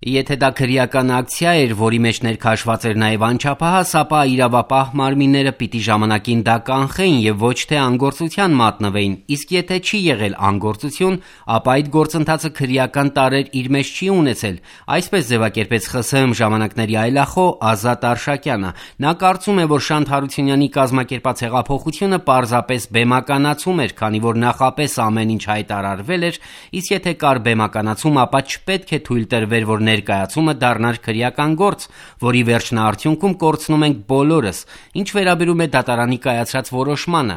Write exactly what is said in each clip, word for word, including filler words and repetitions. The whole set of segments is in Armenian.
Եթե դա քրեական ակցիա էր, որի մեջ ներքաշված էր նաև անչափահաս, ապա իրավապահ մարմինները պիտի ժամանակին դա կանխեին և ոչ թե անգործության մատնվեին, իսկ եթե չի եղել անգործություն, ապա այդ գործընթացը քրեական տարրեր իր մեջ չի ունեցել, այսպես ձևակերպեց ԽՍՀՄ ժամանակների այլախոհ Ազատ Արշակյանը: Նա կարծում է, որ Շանթ Հարությունյանի կազմակերպած հեղափոխությունը պարզապես բեմականացում էր, քանի որ նախապես ամեն ինչ հայտարարվել էր, իսկ եթե կար բեմականացում, ապա չպետք է թույլ տրվեր, որ ներկայացումը դառնար քրեական գործ, որի վերջնաարդյունքում կորցնում ենք բոլորս: Ինչ վերաբերում է դատարանի կայացրած որոշմանը,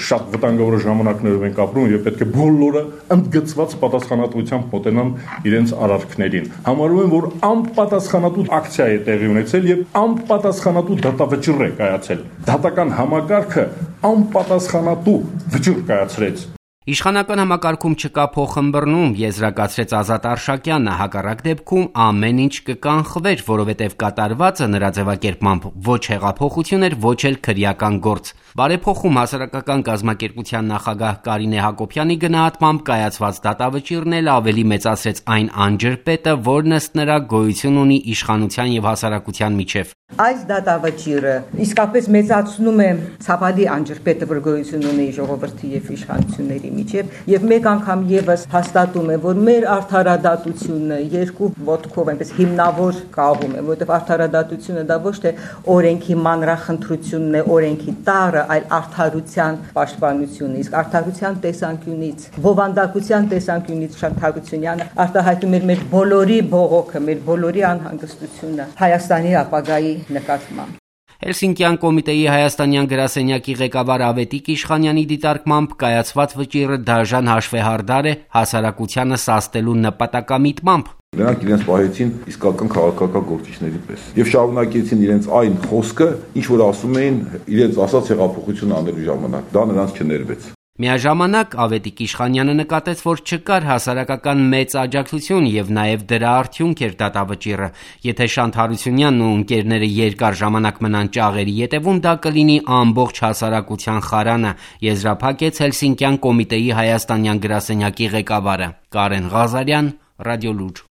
շատ վտանգավոր ժամանակներով ենք ապրում եւ պետք է բոլորը ընդգծված պատասխանատվությամբ մոտենան իրենց արարքներին: Համարում եմ, որ անպատասխանատու ակցիա է տեղի ունեցել եւ անպատասխանատու դատավճիռ է կայացել: Դատական համակարգը անպատասխանատու վճիռ կայացրեց: Իշխանական համակարգում չկա փոխըմբռնում, եզրակացրեց Ազատ Արշակյանը, հակառակ դեպքում ամեն ինչ կկանխվեր, որովհետև կատարվածը նրա ձևակերպմամբ ոչ հեղափոխություն էր, ոչ էլ քրեական գործ: Բարեփոխում հասարակական կազմակերպության նախագահ Կարինե Հակոբյանի գնահատմամբ կայացված դատավճիռն էլ ավելի մեծացրեց այն անջրպետը, որն ըստ նրա գոյություն ունի իշխանության եւ հասարակության միջեւ: Այս դատավճիռը իսկապես մեծացնում է ցավալի անջրպետը, որ գոյություն ունի ժողովրդի եւ իշխանությունների միջեւ եւ մեկ անգամ եւս հաստատում է, որ մեր արդարադատությունը երկու ոտքով այնպես հիմնավոր կաղում է, որովհետեւ արդարադատությունը դա ոչ թե օրենքի մանրախնդրությունն է, օրենքի տառը, այլ արդարության պաշտպանությունը, իսկ արդարության տեսանկյունից, բովանդակության տեսանկյունից Շանթ Հարությունյանը արտահայտում էր մեր բոլորի բողոքը, մեր բոլորի անհանգստությունը Հայաստանի ապագայի նկատմամբ: Հելսինկյան կոմիտեի հայաստանյան գրասենյակի ղեկավար Ավետիք Իշխանյանի դիտարկմամբ կայացված վճիռը դաժան հաշվեհարդար է հասարակությանը սաստելու նպատակամիտմամբ: Նրանք իրենց պահեցին իսկական քաղաքական գործիչների պես եւ շարունակեցին իրենց այն խոսքը, ինչ որ ասում էին իրենց ասած հեղափոխություն անելու ժամանակ: Դա նրանց չներվեց: Միաժամանակ Ավետիք Իշխանյանը նկատեց, որ չկար հասարակական մեծ աջակցություն եւ նաեւ դրա արդյունք էր դատավճիռը: Եթե Շանթ Հարությունյանն ու ընկերները երկար ժամանակ մնան ճաղերի ետեւում, դա կլինի ամբողջ հասարակության խարանը, եզրափակեց Հելսինկյան կոմիտեի հայաստանյան գրասենյակի ղեկավարը: Կարեն Ղազարյան, Ռադիոլուր: